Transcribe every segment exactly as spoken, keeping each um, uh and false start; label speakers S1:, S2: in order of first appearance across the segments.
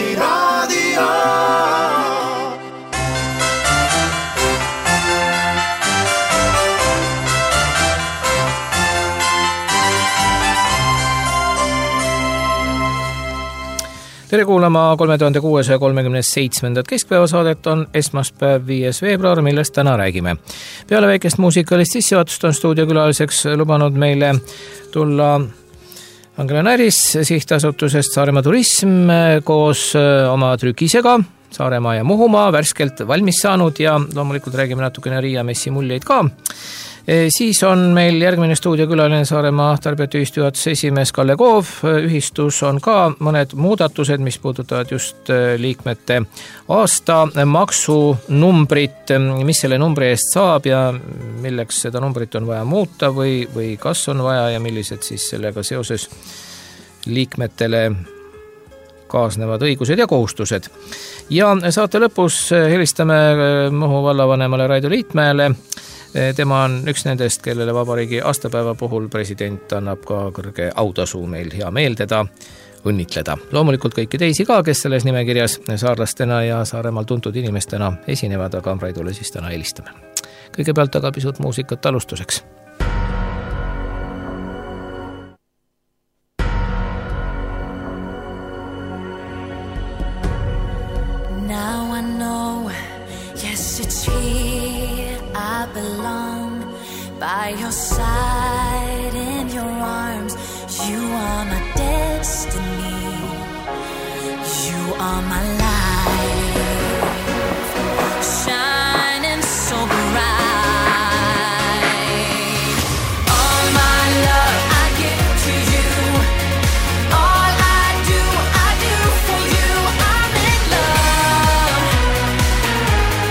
S1: Eesti Raadio.
S2: Tere kuulama kolme tuhande kuuesaja kolmekümne seitsmendat keskpäevasaadet on esmaspäev viies veebruar, millest täna räägime. Peale väikest muusikalist sissejuhatust on stuudiokülaliseks lubanud meile tulla Angela Näris sihtasutusest Saaremaa Turism koos oma trükisega Saaremaa ja Muhumaa värskelt valmis saanud ja loomulikult räägime natukene Riia messi muljeid ka. Siis on meil järgmine stuudiokülaline Saaremaa Tarbijate juhatuse esimees Kalle Koov. Ühistus on ka mõned muudatused, mis puudutavad just liikmete aasta maksunumbrit, mis selle numbri eest saab ja milleks seda numbrit on vaja muuta või, või kas on vaja ja millised siis sellega seoses liikmetele kaasnevad õigused ja kohustused. Ja saate lõpus helistame Muhu vallavanemale Raido Liitmäele. Tema on üks nendest, kellele vabariigi aastapäeva puhul president annab ka kõrge autasu, meil hea meel teda õnnitleda. Loomulikult kõiki teisi ka, kes selles nimekirjas saarlastena ja Saaremaal tuntud inimestena esinevad, aga Raidole siis täna helistame. Kõigepealt aga pisut muusikat alustuseks.
S3: Now I know, yes it's here I belong, by your side, in your arms. You are my destiny, you are my life, shining so bright. All my love I give to you, all I do, I do for you. I'm in love,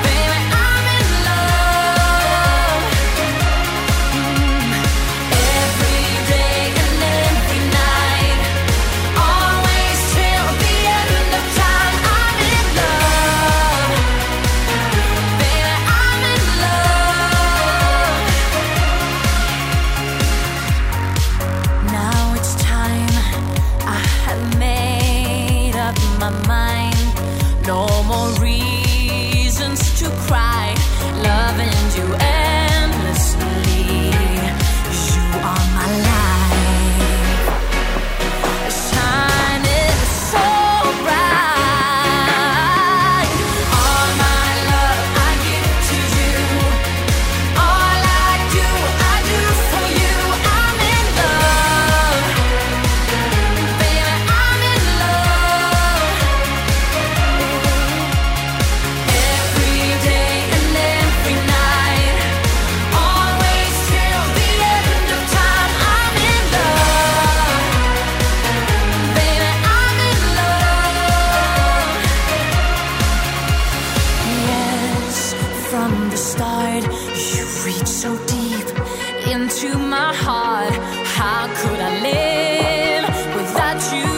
S3: baby, I'm in love. Mm. Every day and every night, always till the end of time. I'm in love, baby, I'm in love. Now it's time, I have made up my mind. No more reasons to cry, loving you endlessly. You are my life, shining so bright. All my love I give to you, all I do, I do for you. I'm in love, baby, I'm in love. Every day and every night, always till the end of time. I'm in love, baby, I'm in love. Yes, from the start, you reach so deep into my heart. How could I live without you?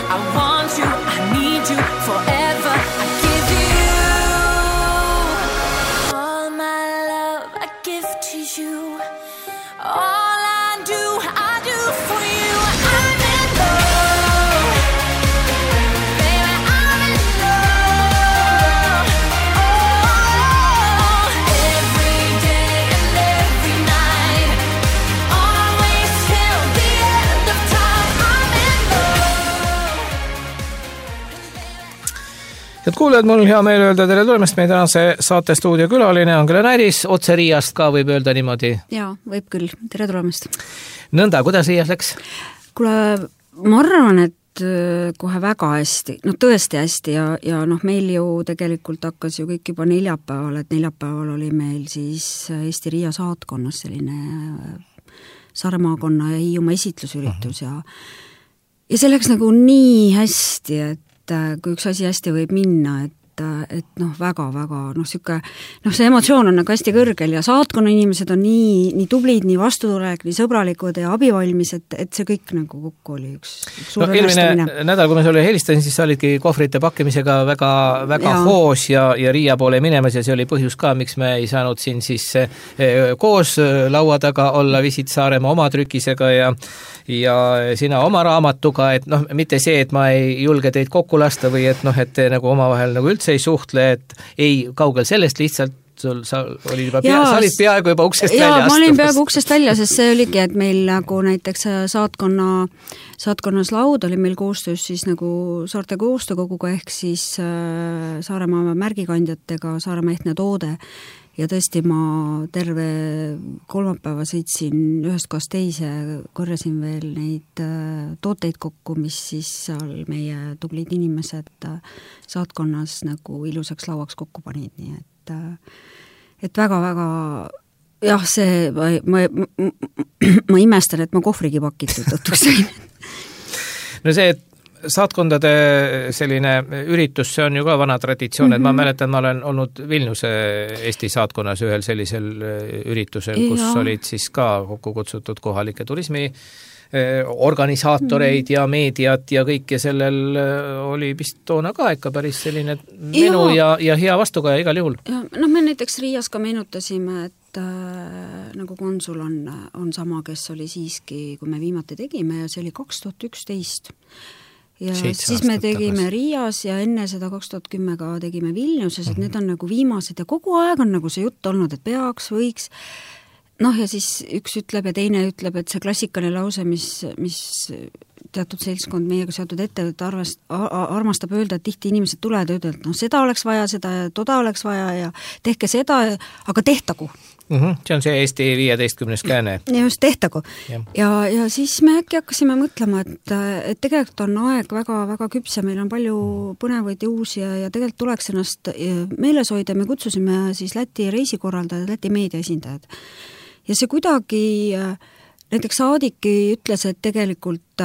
S3: I want you, I need you forever. I give you all my love, I give to you. All I do, I do for you. I'm in love, baby, I'm in love. Oh, every day and every night, always till the end of time. I'm in love.
S2: Head kuulajad, mul on hea meel öelda tere tulemast meie tänase saate stuudiokülaline Angela Näris, otse Riiast ka võib öelda niimoodi.
S4: Jaa, võib küll. Tere tulemast.
S2: Nõnda, kuidas Riias läks?
S4: Kuule, ma arvan, et kohe väga hästi, no tõesti hästi ja, ja noh, meil ju tegelikult hakkas ju kõik juba neljapäeval, et neljapäeval oli meil siis Eesti Riia saatkonnas selline Saaremaakonna ja Hiiumaa esitlusüritus ja ja see läks nagu nii hästi, et kui üks asi hästi võib minna, et et noh, väga-väga noh, siuke, noh, see emotsioon on nagu hästi kõrgel ja saatkonna inimesed on nii, nii tublid, nii vastutulek, nii sõbralikud ja abivalmis, et, et see kõik nagu kokku oli üks, üks suur
S2: no, eelmine nädal, kui ma sulle helistasin, siis sa olidki kohvrite pakkimisega väga, väga ja. hoos ja, ja Riia poole minemas ja see oli põhjus ka, miks me ei saanud siin siis koos laua taga olla Visit Saaremaa oma trükisega ja ja sina oma raamatuga, et noh, mitte see, et ma ei julge teid kokku lasta või et noh, et te nagu omavahel nagu üldse ei suhtle, et ei kaugel sellest lihtsalt sul, sa, oli juba pea, sa olid peaaegu juba uksest
S4: ja,
S2: välja
S4: astumas. Ma olin peaaegu uksest välja, sest see oligi, et meil nagu näiteks saatkonna, saatkonnas laud oli meil koostöös siis nagu Saarte koostöökoguga ehk siis äh, Saaremaa märgikandjatega, Saaremaa ehtne toode. Ja tõesti ma terve kolmapäeva sõitsin ühest kohast teise, korjasin veel neid tooteid kokku, mis siis seal meie tublid inimesed saatkonnas nagu ilusaks lauaks kokku panid, nii et, et väga-väga jah, see, ma, ma, ma, ma imestan, et ma kohvrigi pakitud õtuks sain.
S2: No see, et saatkondade selline üritus, see on ju ka vana traditsioon, mm-hmm. et ma mäletan, ma olen olnud Vilniuse Eesti saatkonnas ühel sellisel üritusel, kus ja. olid siis ka kokku kutsutud kohalike turismi organisaatoreid mm-hmm. ja meediat ja kõik ja sellel oli vist toona ka ikka päris selline menu ja, ja, ja hea vastukaja igal juhul.
S4: Ja, no me näiteks Riias ka meenutasime, et äh, nagu konsul on, on sama, kes oli siiski, kui me viimati tegime ja see oli kaks tuhat üksteist ja siis me tegime tagasi. Riias ja enne seda kaks tuhat kümme ka tegime Vilniuses, et mm-hmm. need on nagu viimased ja kogu aeg on nagu see jutt olnud, et peaks, võiks, noh ja siis üks ütleb ja teine ütleb, et see klassikaline lause, mis, mis teatud seltskond meiega seotud ettevõtte arvest, armastab öelda, et tihti inimesed tulevad ja ütlevad, et noh, seda oleks vaja, seda ja toda oleks vaja ja tehke seda, aga tehtagu.
S2: Mm-hmm. See on see Eesti viieteistkümnes kääne.
S4: Ja just tehtagu. Ja, ja, ja siis me äkki hakkasime mõtlema, et, et tegelikult on aeg väga, väga küps ja meil on palju põnevaid ja uusi ja, ja tegelikult tuleks ennast meeles hoida. Me kutsusime siis Läti reisikorraldajad, Läti meedia esindajad. Ja see kuidagi näiteks Saadiki ütles, et tegelikult,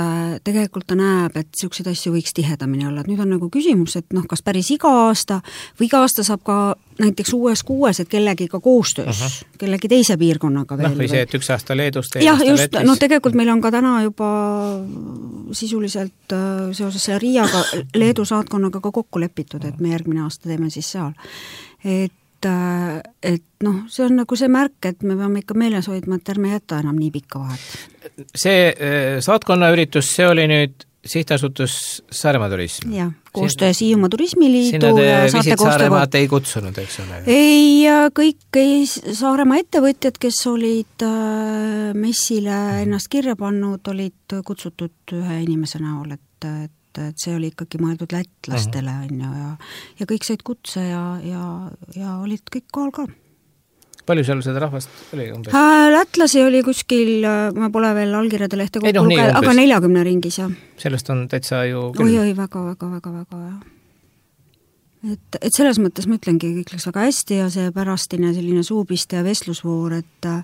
S4: tegelikult ta näeb, et niisuguseid asju võiks tihedamini olla. Et nüüd on nagu küsimus, et noh, kas päris iga aasta või iga aasta saab ka näiteks uues kuues, et kellegi ka koostöös, uh-huh. kellegi teise piirkonnaga veel.
S2: Noh, või see, et üks aasta Leedus, teine
S4: jah,
S2: aasta
S4: just,
S2: Lätis.
S4: No tegelikult meil on ka täna juba sisuliselt seoses selle Riiaga Leedu saatkonnaga ka kokku lepitud, et me järgmine aasta teeme siis seal. Et et noh, see on nagu see märk, et me peame ikka meeles hoidma, et ärme jätta enam nii pikka vahet.
S2: See saatkonna üritus, see oli nüüd sihtasutus Saaremaa turism?
S4: Jah, koostöö Siiumaa turismiliidu
S2: sinna te Visit Saaremaad ei kutsunud, eks ole?
S4: Ei, kõik ei, Saaremaa ettevõtjad, kes olid messile ennast kirja pannud, olid kutsutud ühe inimese näol, et, et et see oli ikkagi mõeldud lätlastele on ju, ja, ja kõik said kutse ja, ja, ja olid kõik kohal ka.
S2: Palju seal seda rahvast oli umbes?
S4: Lätlasi oli kuskil, ma pole veel allkirjade lehte kokku
S2: no,
S4: lugeda, aga neljakümne ringis, jah.
S2: Sellest on täitsa ju küll.
S4: Oi, oi, väga, väga, väga, väga, jah. Et, et selles mõttes ma ütlengi, kõik läks väga hästi ja see pärastine selline suupiste ja vestlusvoor, et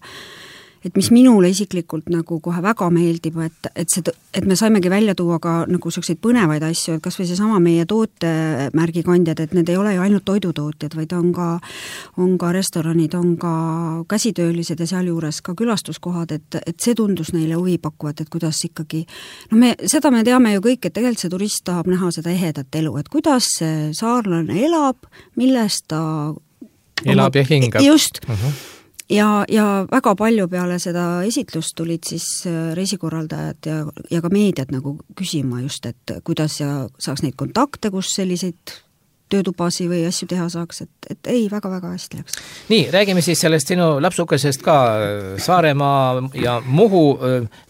S4: et mis minule isiklikult nagu kohe väga meeldib, et, et, see, et me saimegi välja tuua ka nagu selliseid põnevaid asju, et kas või see sama meie tootemärgikandjad, et need ei ole ju ainult toidutootjad, vaid on ka, on ka restoranid, on ka käsitöölised ja sealjuures ka külastuskohad, et, et see tundus neile huvi pakkuvat, et kuidas ikkagi, no me, seda me teame ju kõik, et tegelikult see turist tahab näha seda ehedat elu, et kuidas see saarlane elab, millest ta
S2: elab ja hingab.
S4: Just. Uh-huh. Ja, ja väga palju peale seda esitlust tulid siis reisikorraldajad ja, ja ka meediat nagu küsima just, et kuidas ja saaks neid kontakte, kus selliseid töötubasi või asju teha saaks, et, et ei, väga-väga hästi läks.
S2: Nii, räägime siis sellest sinu lapsukesest ka, Saaremaa ja Muhu,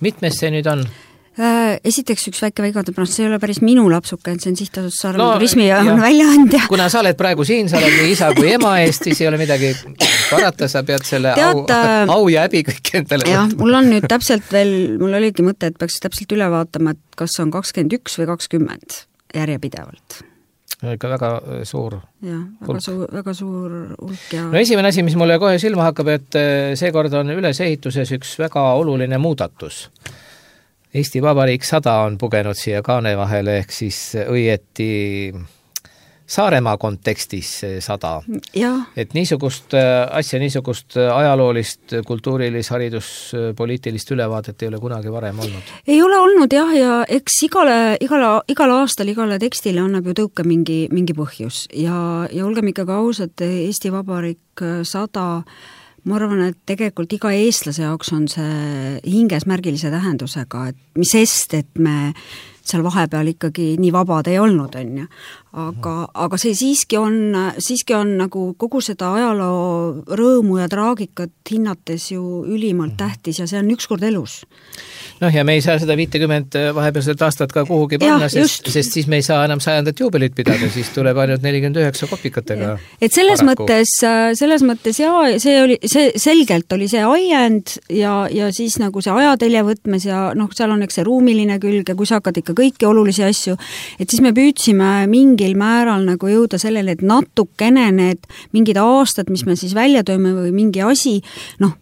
S2: mitmes see nüüd on?
S4: Esiteks üks väike väigade pärast, see ei ole päris minu lapsuke, see on sihtasutus Saaremaa no, turismi ja on väljaandja.
S2: Kuna sa oled praegu siin, sa oled nii isa kui ema eest, siis ei ole midagi parata, sa pead selle Tead, au, au ja häbi kõik endale.
S4: Jah, mul on nüüd täpselt veel, mul oligi mõte, et peaks täpselt üle vaatama, et kas on kakskümmend üks või kakskümmend järjepidevalt.
S2: Ikka väga suur
S4: jah, väga suur, väga suur hulk ja...
S2: No esimene asi, mis mulle kohe silma hakkab, et seekord on ülesehituses üks väga oluline muudatus. Eesti Vabariik sada on pugenud siia kaane vahele, ehk siis õieti Saaremaa kontekstis sada.
S4: Ja.
S2: Et niisugust asja, niisugust ajaloolist, kultuurilis, haridus, poliitilist ülevaadet ei ole kunagi varem olnud.
S4: Ei ole olnud jah, ja eks igale, igale, igal aastal igale tekstile annab ju tõuke mingi, mingi põhjus ja, ja olgem ikkagi ausad, Eesti Vabariik sada, ma arvan, et tegelikult iga eestlase jaoks on see hinges märgilise tähendusega, et mis sest, et me seal vahepeal ikkagi nii vabad ei olnud, on ju. Aga, aga see siiski on, siiski on nagu kogu seda ajaloo rõõmu ja traagikat hinnates ju ülimalt tähtis ja see on ükskord elus.
S2: Noh, ja me ei saa seda viitekümmet vahepealset aastat ka kuhugi panna, sest, sest siis me ei saa enam sajandat juubelit pidada, siis tuleb ainult nelikümmend üheksa kopikatega.
S4: Et selles paraku. mõttes, selles mõttes jaa, see oli, see selgelt oli see ajend ja, ja siis nagu see ajatelje võtmes ja noh, seal on eks see ruumiline külg ja kui sa hakkad ikka kõiki olulisi asju, et siis me püüdsime mingil määral nagu jõuda sellele, et natukene need mingid aastad, mis me siis välja tööme või mingi asi, noh,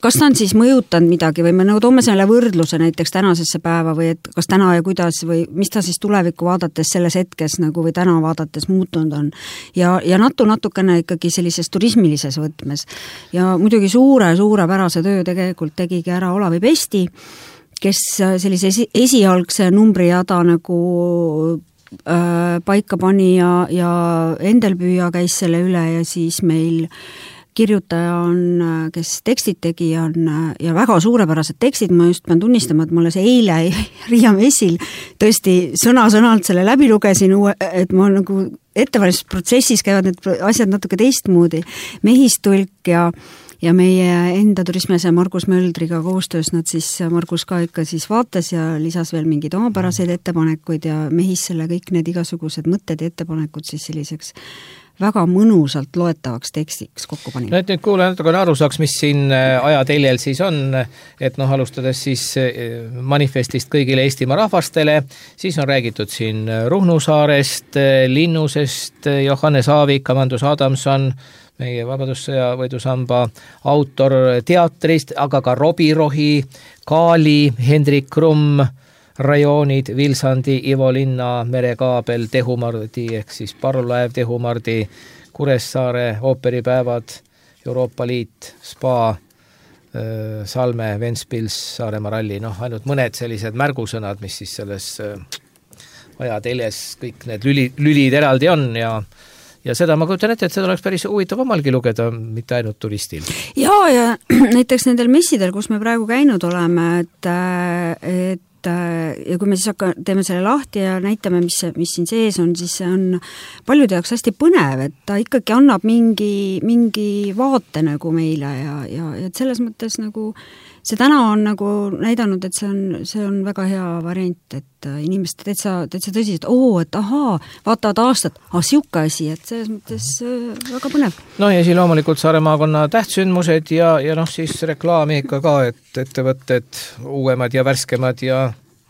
S4: kas ta on siis mõjutanud midagi või me nagu toome selle võrdluse näiteks tänasesse päeva või et kas täna ja kuidas või mis ta siis tulevikku vaadates selles hetkes nagu või täna vaadates muutunud on. Ja, ja natu natukene ikkagi sellises turismilises võtmes. Ja muidugi suure, suurepärase töö tegelikult tegigi ära Olavi Pesti, kes sellise esi, esialgse numbrijada nagu äh, paika pani ja, ja Endelpüüa käis selle üle ja siis meil kirjutaja on, kes tekstid tegi, on ja väga suurepärased tekstid, ma just pean tunnistama, et ma alles eile Riia messil tõesti sõna-sõnalt selle läbi lugesin, et ma nagu ettevalmistusprotsessis käivad need asjad natuke teistmoodi. Mehistulk ja ja meie enda turismiase Margus Möldriga koostöös nad siis, Margus ka ikka siis vaatas ja lisas veel mingeid omapäraseid ettepanekuid ja mehis selle kõik need igasugused mõtted ja ettepanekud siis selliseks väga mõnusalt loetavaks tekstiks kokku pani.
S2: No et nüüd kuule natukene aru saaks, mis siin ajateljel siis on, et noh, alustades siis manifestist kõigile Eestimaa rahvastele, siis on räägitud siin Ruhnu saarest, Linnusest, Johannes Aavik, Amandus Adamson, meie Vabadussõja võidusamba autor teatrist, aga ka Robi Rohi, Kaali, Hendrik Krumm, rajoonid, Vilsandi, Ivo Linna, Merekaabel, Tehumardi ehk siis parvlaev Tehumardi, Kuressaare, ooperipäevad, Euroopa Liit, Spa, Salme, Ventspils, Saaremaa ralli, noh, ainult mõned sellised märgusõnad, mis siis selles ajateljes kõik need lüli, lülid eraldi on ja ja seda ma kujutan ette, et seda oleks päris huvitav omalgi lugeda, mitte ainult turistil.
S4: Jaa, ja näiteks nendel messidel, kus me praegu käinud oleme, et, et ja kui me siis hakka, teeme selle lahti ja näitame, mis, mis siin sees on, siis see on paljude jaoks hästi põnev, et ta ikkagi annab mingi, mingi vaate nagu meile ja, ja, ja et selles mõttes nagu see täna on nagu näidanud, et see on, see on väga hea variant, et inimesed täitsa, täitsa tõsiselt, oo, et ahaa, vaatavad aastat, ah, siuke asi, et selles mõttes väga põnev.
S2: No ja siin loomulikult Saaremaakonna tähtsündmused ja, ja noh, siis reklaami ikka ka, et ettevõtted uuemad ja värskemad ja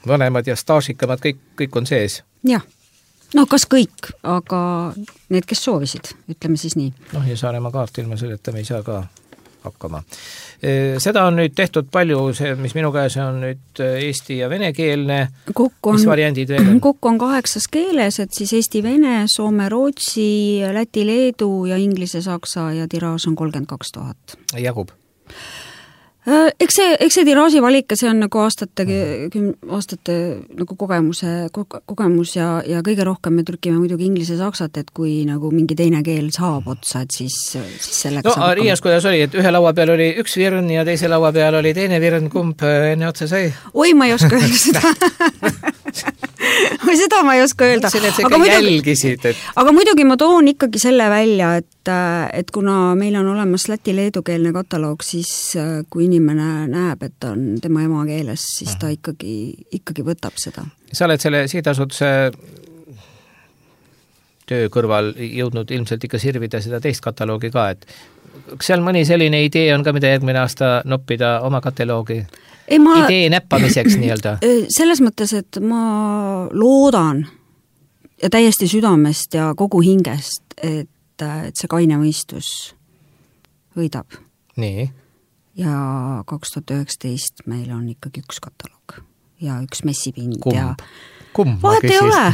S2: vanemad ja staažikamad, kõik, kõik on sees.
S4: Jah. No kas kõik, aga need, kes soovisid, ütleme siis nii.
S2: Noh ja Saaremaa kaart ilma selleta me ei saa ka hakkama. Seda on nüüd tehtud palju, see, mis minu käes on nüüd eesti ja venekeelne, mis variandid veel on?
S4: Kokku on kaheksas keeles, et siis eesti, vene, soome, rootsi, läti, leedu ja inglise, saksa ja tiraaž on kolmkümmend kaks tuhat.
S2: Jagub?
S4: Eks see, eks see tiraaži valik, see on nagu aastate, aastate nagu kogemuse, kogemus ja, ja kõige rohkem me trükime muidugi inglise saksat, et kui nagu mingi teine keel saab otsa, et siis, siis selleks
S2: no, saab... No Riias kuidas oli, et ühe laua peal oli üks virn ja teise laua peal oli teine virn, kumb enne otsa sai?
S4: Oi, ma ei oska öelda seda. või seda ma ei oska öelda.
S2: Mõtlesin, et sa ikka jälgisid. Et...
S4: Aga muidugi ma toon ikkagi selle välja, et, et kuna meil on olemas läti-leedukeelne kataloog, siis kui inimene näeb, et on tema emakeeles, siis ta ikkagi, ikkagi võtab seda.
S2: Sa oled selle sihtasutuse töö kõrval jõudnud ilmselt ikka sirvida seda teist kataloogi ka, et kas seal mõni selline idee on ka, mida järgmine aasta noppida oma kataloogi? Ei, ma, idee näppamiseks nii-öelda?
S4: Selles mõttes, et ma loodan ja täiesti südamest ja kogu hingest, et, et see kaine mõistus võidab.
S2: Nii?
S4: Ja kaks tuhat üheksateist meil on ikkagi üks kataloog. ja üks messipind.
S2: Kumb?
S4: Ja
S2: Kumb?
S4: Vahet ei ole.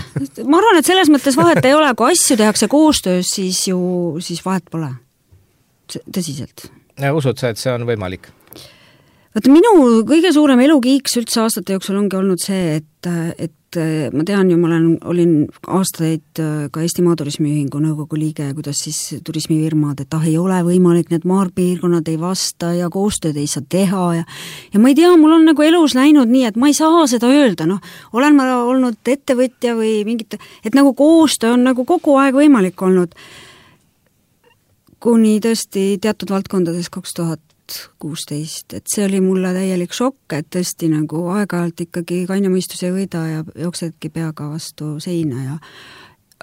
S4: Ma arvan, et selles mõttes vahet ei ole. Kui asju tehakse koostöös, siis ju siis vahet pole. Tõsiselt.
S2: Ja usud sa, et see on võimalik?
S4: Vaata, minu kõige suurem elukiiks üldse aastate jooksul ongi olnud see, et, et ma tean ju, ma olen, olin aastaid ka Eesti Maaturismiühingu nõukogu liige ja kuidas siis turismifirmad, et ah, ei ole võimalik, need maarpiirkonnad ei vasta ja koostööd ei saa teha ja ja ma ei tea, mul on nagu elus läinud nii, et ma ei saa seda öelda, noh, olen ma olnud ettevõtja või mingit, et nagu koostöö on nagu kogu aeg võimalik olnud kuni tõesti teatud valdkondades kaks tuhat kuusteist, et see oli mulle täielik šokk, et tõesti nagu aeg-ajalt ikkagi kainamõistus ei võida ja jooksedki peaga vastu seina ja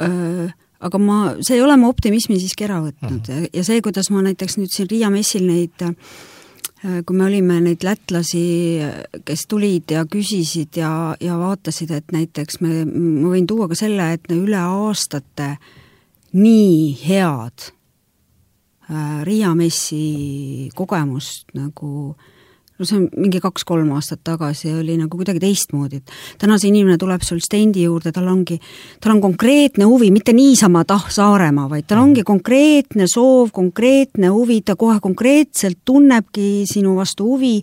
S4: öö, aga ma, see ei ole ma optimismi siiski ära võtnud mm. ja, ja see, kuidas ma näiteks nüüd siin Riia messil neid, kui me olime neid lätlasi, kes tulid ja küsisid ja, ja vaatasid, et näiteks me, ma võin tuua ka selle, et üle aastate nii head Riia messi kogemust nagu, no see on mingi kaks-kolm aastat tagasi oli nagu kuidagi teistmoodi, et täna see inimene tuleb sul stendi juurde, tal ongi, tal on konkreetne huvi, mitte niisama tah Saaremaa, vaid tal ongi konkreetne soov, konkreetne huvi, ta kohe konkreetselt tunnebki sinu vastu huvi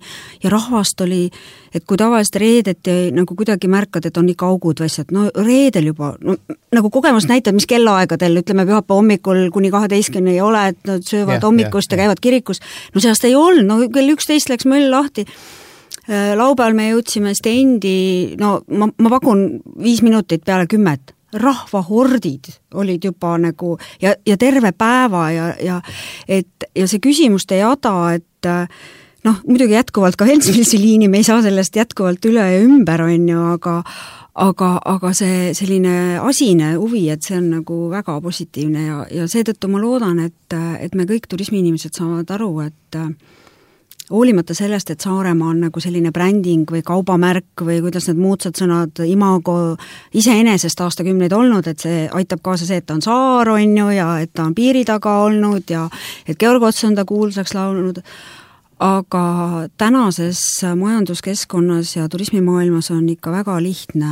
S4: ja rahvast oli, et kui tavaliselt reedeti nagu kuidagi märkad, et on ikka augud või asjad, no reedel juba, no nagu kogemus näitab, mis kellaaegadel, ütleme pühapa hommikul kuni kaheteistkümne ei ole, et nad söövad yeah, hommikust yeah, ja käivad kirikus, no sellest ei olnud, no kell üksteist läks möll lahti, laupäeval me jõudsime stendi, no ma, ma pakun viis minutit peale kümmet, rahvahordid olid juba nagu ja, ja terve päeva ja, ja, et, ja see küsimuste jada, et noh, muidugi jätkuvalt ka Helsingi liini, me ei saa sellest jätkuvalt üle ja ümber, on ju, aga aga, aga see selline asine huvi, et see on nagu väga positiivne ja, ja seetõttu ma loodan, et, et me kõik turismiinimesed saavad aru, et hoolimata sellest, et Saaremaa on nagu selline bränding või kaubamärk või kuidas need moodsad sõnad imago iseenesest aastakümneid olnud, et see aitab kaasa see, et ta on saar, on ju, ja et ta on piiri taga olnud ja et Georg Ots on ta kuulsaks laulnud, aga tänases majanduskeskkonnas ja turismimaailmas on ikka väga lihtne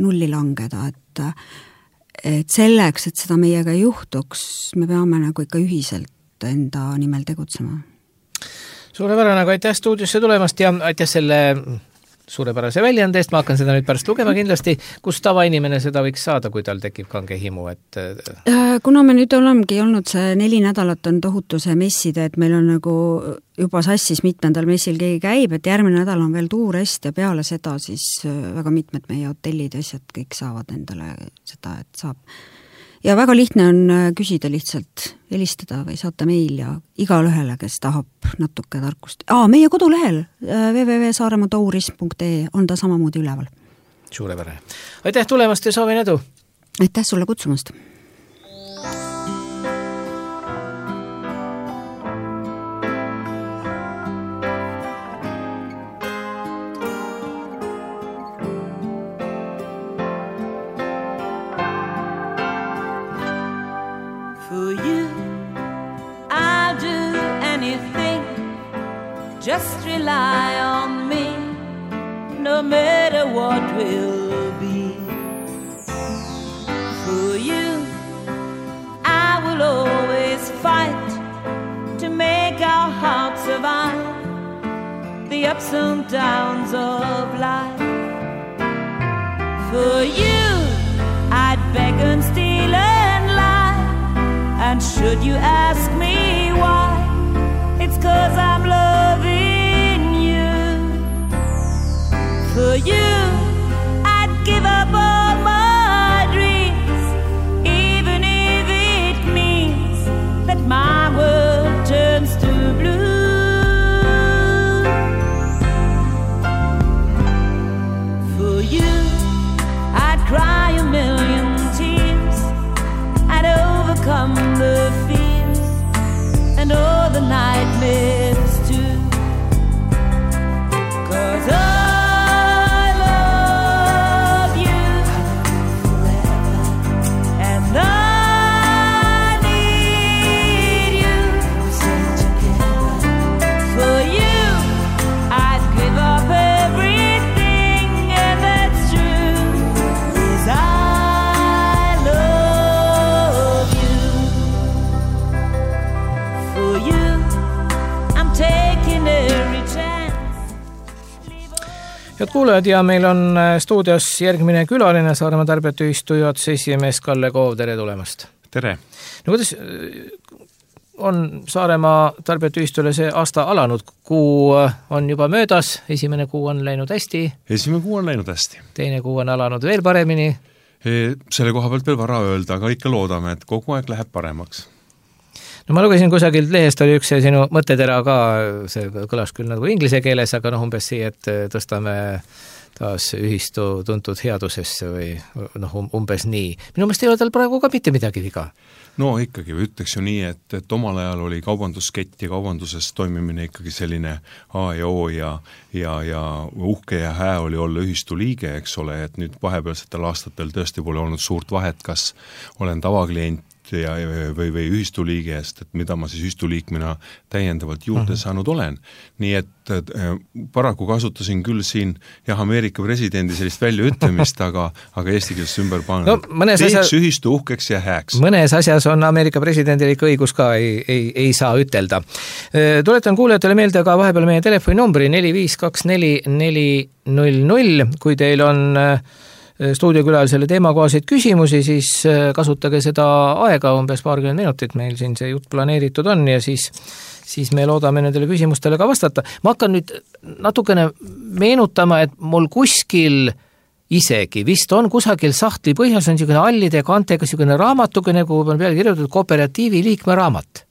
S4: nulli langeda, et, et selleks, et seda meiega ei juhtuks, me peame nagu ikka ühiselt enda nimel tegutsema.
S2: Suurepärane, aga aitäh stuudiosse tulemast ja aitäh selle suurepärase väljaande eest, ma hakkan seda nüüd pärast lugema kindlasti, kus tavainimene seda võiks saada, kui tal tekib kange himu, et
S4: kuna me nüüd olemegi olnud see neli nädalat on tohutu see messide, et meil on nagu juba sassis mitmendal messil keegi käib, et järgmine nädal on veel tuurest ja peale seda siis väga mitmed meie hotellid ja asjad kõik saavad endale seda, et saab ja väga lihtne on küsida lihtsalt, helistada või saata meil ja igal ühele, kes tahab natuke tarkust. Aa, meie kodulehel w w w punkt saaremaa tourism punkt e on ta samamoodi üleval.
S2: Suurepärane. Aitäh tulemast ja soovin edu!
S4: Aitäh sulle kutsumast!
S1: Just rely on me, no matter what will be. For you, I will always fight to make our hearts survive the ups and downs of life. For you, I'd beg and steal and lie, and should you ask me why, it's 'cause I'm loving you. For you, I'd give up all my dreams, even if it means that my world turns to blue. For you, I'd cry a million tears, I'd overcome the fears and all the nightmares too, 'cause I
S2: Head kuulajad ja meil on stuudios järgmine külaline Saaremaa tarbijate ühistu juhatuse esimees Kalle Koov, tere tulemast!
S5: Tere!
S2: No kuidas on Saaremaa tarbijate ühistule see aasta alanud? Kuu on juba möödas, esimene kuu on läinud hästi.
S5: Esimene kuu on läinud hästi.
S2: Teine kuu on alanud veel paremini.
S5: Selle koha pealt veel vara öelda, aga ikka loodame, et kogu aeg läheb paremaks.
S2: No ma lugesin kusagilt lehest oli üks sinu mõttetera ka, see kõlas küll nagu inglise keeles, aga noh, umbes siia, et tõstame taas ühistu tuntud headusesse või noh, umbes nii. Minu meelest ei ole tal praegu ka mitte midagi viga.
S5: No ikkagi, ütleks ju nii, et, et omal ajal oli kaubanduskett ja kaubanduses toimimine ikkagi selline A ja O ja, ja, ja uhke ja hää oli olla ühistu liige, eks ole, et nüüd vahepealsetel aastatel tõesti pole olnud suurt vahet, kas olen tavaklient ja, või, või ühistu liige eest, et mida ma siis ühistu liikmena täiendavalt juurde saanud olen. Nii et, et paraku kasutasin küll siin jah, Ameerika presidendi sellist väljaütlemist, aga, aga eesti keeles ümber pannud. No, teeks asja... ühistu uhkeks ja hääks.
S2: Mõnes asjas on Ameerika presidendil ikka õigus ka, ei, ei, ei saa ütelda. Tuletan kuulajatele meelde ka vahepeal meie telefoninumbri neli viis kaks neli neli null null, kui teil on stuudiokülalisele teemakohaseid küsimusi, siis kasutage seda aega, umbes paarkümmend minutit meil siin see jutt planeeritud on ja siis, siis me loodame nendele küsimustele ka vastata. Ma hakkan nüüd natukene meenutama, et mul kuskil isegi vist on kusagil sahtli põhjas on niisugune allide kantega niisugune raamatukene, kuhu on peale kirjutatud kooperatiivi liikme raamat.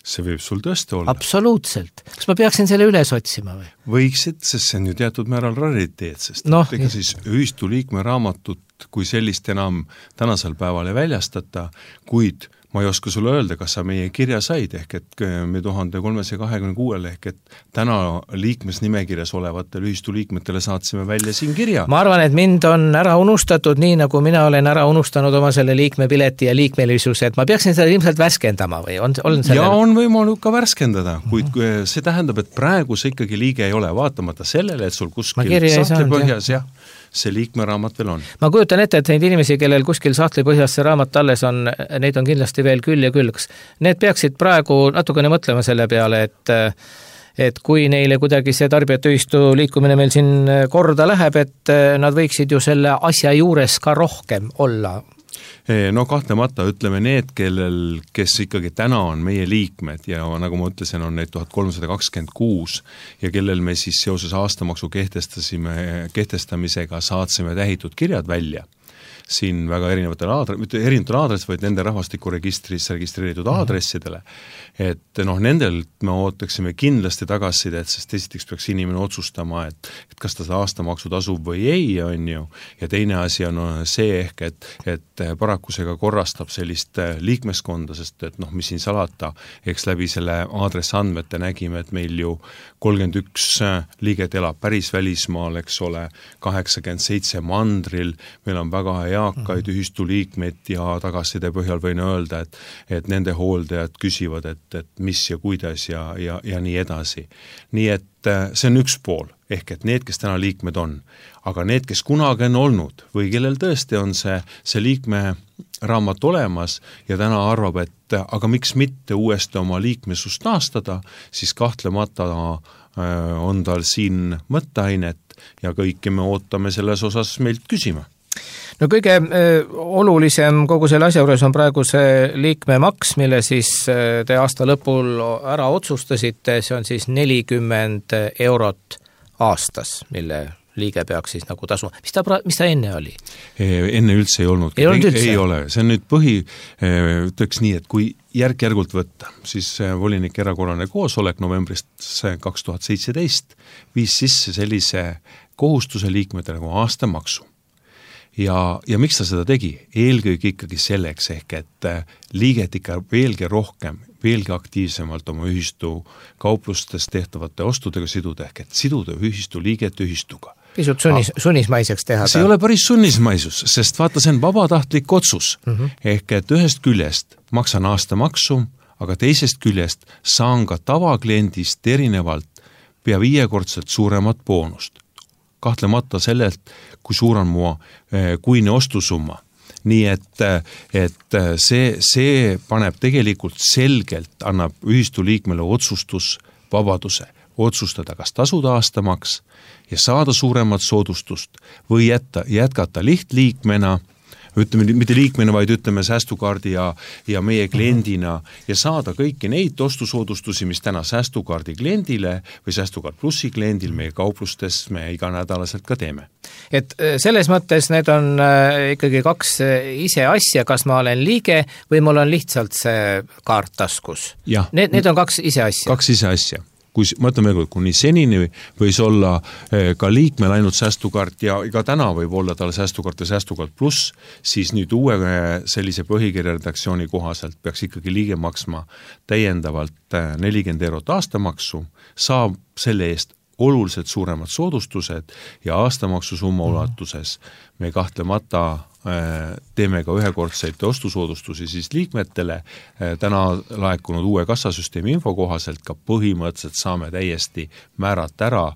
S5: See võib sul tõesti olla.
S2: Absoluutselt. Kas ma peaksin selle üles otsima või?
S5: Võiksid, sest see on ju teatud määral rariteet, sest
S2: no,
S5: ega siis ühistu liikme raamatut kui sellist enam tänasel päeval ei väljastata, kuid ma ei oska sulle öelda, kas sa meie kirja said, ehk et me tuhande kolmesaja kahekümne kuuel ehk et täna liikmesnimekirjas olevatele ühistu liikmetele saatsime välja siin kirja.
S2: Ma arvan, et mind on ära unustatud nii, nagu mina olen ära unustanud oma selle liikmepileti ja liikmelisuse, et ma peaksin seda ilmselt värskendama või on, on selle...
S5: Ja on võimalik ka värskendada, kuid see tähendab, et praegu see ikkagi liige ei ole, vaatamata sellele, et sul kuskil sahtli põhjas jah, see liikmeraamat veel on. Ma
S2: kujutan ette, et neid inimesi, kellel kuskil sahtli põhjas see raamat alles on, neid on kindlasti veel küll ja küll. Need peaksid praegu natukene mõtlema selle peale, et, et kui neile kuidagi see tarbijate ühistu liikumine meil siin korda läheb, et nad võiksid ju selle asja juures ka rohkem olla.
S5: No kahtlemata ütleme need, kellel, kes ikkagi täna on meie liikmed ja nagu ma ütlesin, on neid tuhat kolmsada kakskümmend kuus ja kellel me siis seoses aastamaksu kehtestasime, kehtestamisega saatsime tähitud kirjad välja siin väga erinevatel aadres, mitte erinevatel aadres, vaid nende rahvastikuregistris registreeritud aadressidele. Et noh, nendel me ootaksime kindlasti tagasisidet, sest esiteks peaks inimene otsustama, et, et kas ta seda aastamaksu tasub või ei, on ju. Ja teine asi on see ehk, et, et paraku see ka korrastab sellist liikmeskonda, sest et noh, mis siin salata, eks läbi selle aadress andmete nägime, et meil ju kolmkümmend üks liiget elab päris välismaal, eks ole, kaheksakümmend seitse mandril, meil on väga eakaid ühistu liikmeid ja tagasiside põhjal võin öelda, et, et nende hooldajad küsivad, et, et mis ja kuidas ja, ja, ja nii edasi. Nii et see on üks pool, ehk et need, kes täna liikmed on, aga need, kes kunagi on olnud või kellel tõesti on see, see liikme raamat olemas ja täna arvab, et aga miks mitte uuesti oma liikmesust taastada, siis kahtlemata on tal siin mõtteainet ja kõike me ootame selles osas meilt küsima.
S2: No kõige olulisem kogu selle asja juures on praegu see liikmemaks, mille siis te aasta lõpul ära otsustasite, see on siis nelikümmend eurot aastas, mille liige peaks siis nagu tasuma. Mis ta, mis ta enne oli?
S5: Enne üldse ei olnud.
S2: Ei, olnud üldse?
S5: Ei ole. See on nüüd põhi, ütleks nii, et kui järk-järgult võtta, siis volinik erakorraline koosolek novembrist kaks tuhat seitseteist viis sisse sellise kohustuse liikmetele nagu aastamaksu. Ja, ja miks ta seda tegi? Eelkõige ikkagi selleks ehk, et liiget ikka veelgi rohkem, veelgi aktiivsemalt oma ühistu kauplustes tehtavate ostudega siduda ehk, et siduda ühistu liiget ühistuga.
S2: Pisut sunnis, sunnismaiseks teha.
S5: See ei ole päris sunnismaisus, sest vaata, see on vabatahtlik otsus. Mm-hmm. Ehk, et ühest küljest maksan aastamaksu, aga teisest küljest saan ka tavakliendist erinevalt pea viiekordselt suuremat boonust. Kahtlemata sellelt, kui suur on mu kuine ostusumma. Nii et, et see, see paneb tegelikult selgelt, annab ühistu liikmele otsustusvabaduse otsustada, kas tasuda aastamaks ja saada suuremat soodustust või jätta, jätkata lihtliikmena, ütleme, mitte liikmena, vaid ütleme säästukaardi ja, ja meie kliendina ja saada kõiki neid ostusoodustusi, mis täna säästukaardi kliendile või säästukaart plussi kliendil meie kauplustes me iganädalaselt ka teeme.
S2: Et selles mõttes need on ikkagi kaks ise asja, kas ma olen liige või mul on lihtsalt see kaart taskus. Need, need on kaks ise asja.
S5: Kaks ise asja. Kui mõtleme, kuni senini võis olla ka liikmel ainult säästukaart ja ka täna võib olla tal säästukaart ja säästukaart pluss, siis nüüd uue sellise põhikirja redaktsiooni kohaselt peaks ikkagi liige maksma täiendavalt nelikümmend eurot aastamaksu, saab selle eest oluliselt suuremad soodustused ja aastamaksu summa ulatuses me kahtlemata teeme ka ühekordseid ostusoodustusi siis liikmetele. Täna laekunud uue kassasüsteemi info kohaselt ka põhimõtteliselt saame täiesti määrata ära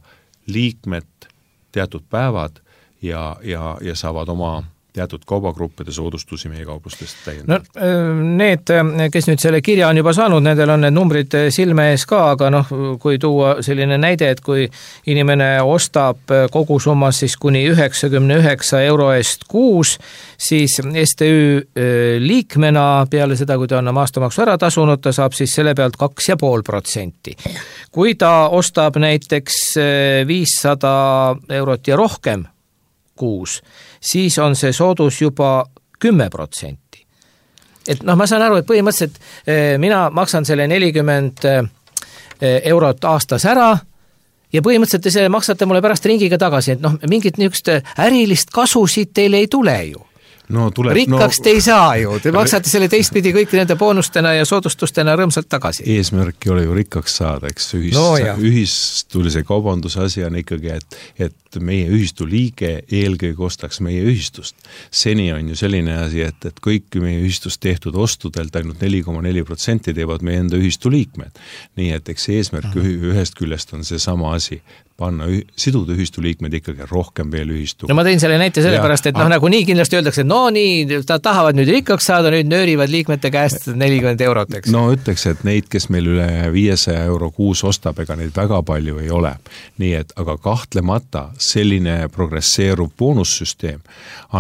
S5: liikmed teatud päevad ja, ja, ja saavad oma teatud kaubagruppide soodustusi meie kauplustest täiendavalt.
S2: No need, kes nüüd selle kirja on juba saanud, nendel on need numbrid silme ees ka, aga noh, kui tuua selline näide, et kui inimene ostab kogusummas siis kuni üheksakümne üheksa euro eest kuus, siis S T Ü liikmena peale seda, kui ta on oma aastamaksu ära tasunud, ta saab siis selle pealt kaks ja pool protsenti. Kui ta ostab näiteks viissada eurot ja rohkem kuus, siis on see soodus juba kümme protsenti. Et noh, ma saan aru, et põhimõtteliselt mina maksan selle nelikümmend eurot aastas ära ja põhimõtteliselt te selle maksate mulle pärast ringiga tagasi, et noh, mingit niisugust ärilist kasu siit teile ei tule ju.
S5: No, tuleb,
S2: rikkaks
S5: no,
S2: te ei saa ju, te maksate selle teistpidi kõik nende boonustena ja soodustustena rõõmsalt tagasi.
S5: Eesmärk ei ole ju rikkaks saada, eks ühis,
S2: no,
S5: ühistulise kaubanduse asi on ikkagi, et, et meie ühistu liige eelkõige ostaks meie ühistust. Seni on ju selline asi, et, et kõik meie ühistust tehtud ostudelt ainult neli koma neli protsenti teevad meie enda ühistu liikmed. Nii et eks eesmärk mm-hmm. ühest küljest on see sama asi, panna üh, siduda ühistu liikmed ikkagi rohkem veel ühistu.
S2: No ma tõin selle näite sellepärast, et noh, nagu nii kindlasti öeldakse, et no nii, ta tahavad nüüd rikkaks saada, nüüd nöörivad liikmete käest nelikümmend eurot, eks.
S5: No ütleks, et neid, kes meil üle viiesaja euro kuus ostab, ega neid väga palju ei ole. Nii et, aga kahtlemata selline progresseeruv boonussüsteem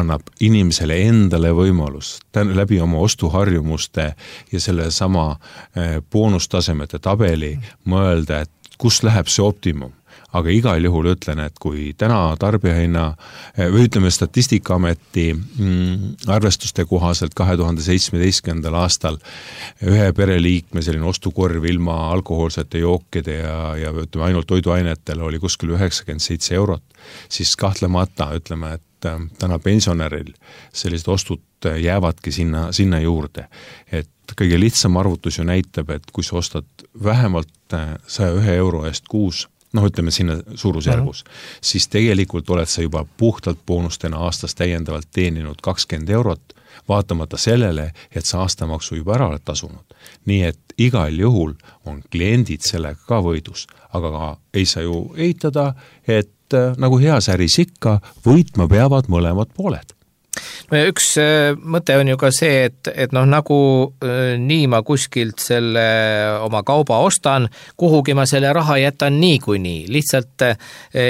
S5: annab inimesele endale võimalus läbi oma ostuharjumuste ja selle sama boonustasemete tabeli mõelda, et kus läheb see optimum. Aga igal juhul ütlen, et kui täna tarbijahinna või ütleme Statistikaameti mm, arvestuste kohaselt kahe tuhande seitsmeteistkümnendal aastal ühe pereliikme selline ostukorv ilma alkohoolsete jookide ja, ja ütleme ainult toiduainetel oli kuskil üheksakümmend seitse eurot, siis kahtlemata ütleme, et täna pensionäril sellised ostud jäävadki sinna, sinna juurde. Et kõige lihtsam arvutus ju näitab, et kui sa ostad vähemalt saja ühe euro eest kuus, noh ütleme sinna suurusjärgus, mm-hmm. siis tegelikult oled sa juba puhtalt boonustena aastas täiendavalt teeninud kakskümmend eurot, vaatamata sellele, et sa aastamaksu juba ära oled tasunud. Nii et igal juhul on kliendid sellega ka võidus, aga ka ei saa ju eitada, et nagu heas äris ikka, võitma peavad mõlemad pooled.
S2: No üks mõte on ju ka see, et, et noh, nagu nii ma kuskilt selle oma kauba ostan, kuhugi ma selle raha jätan nii kui nii. Lihtsalt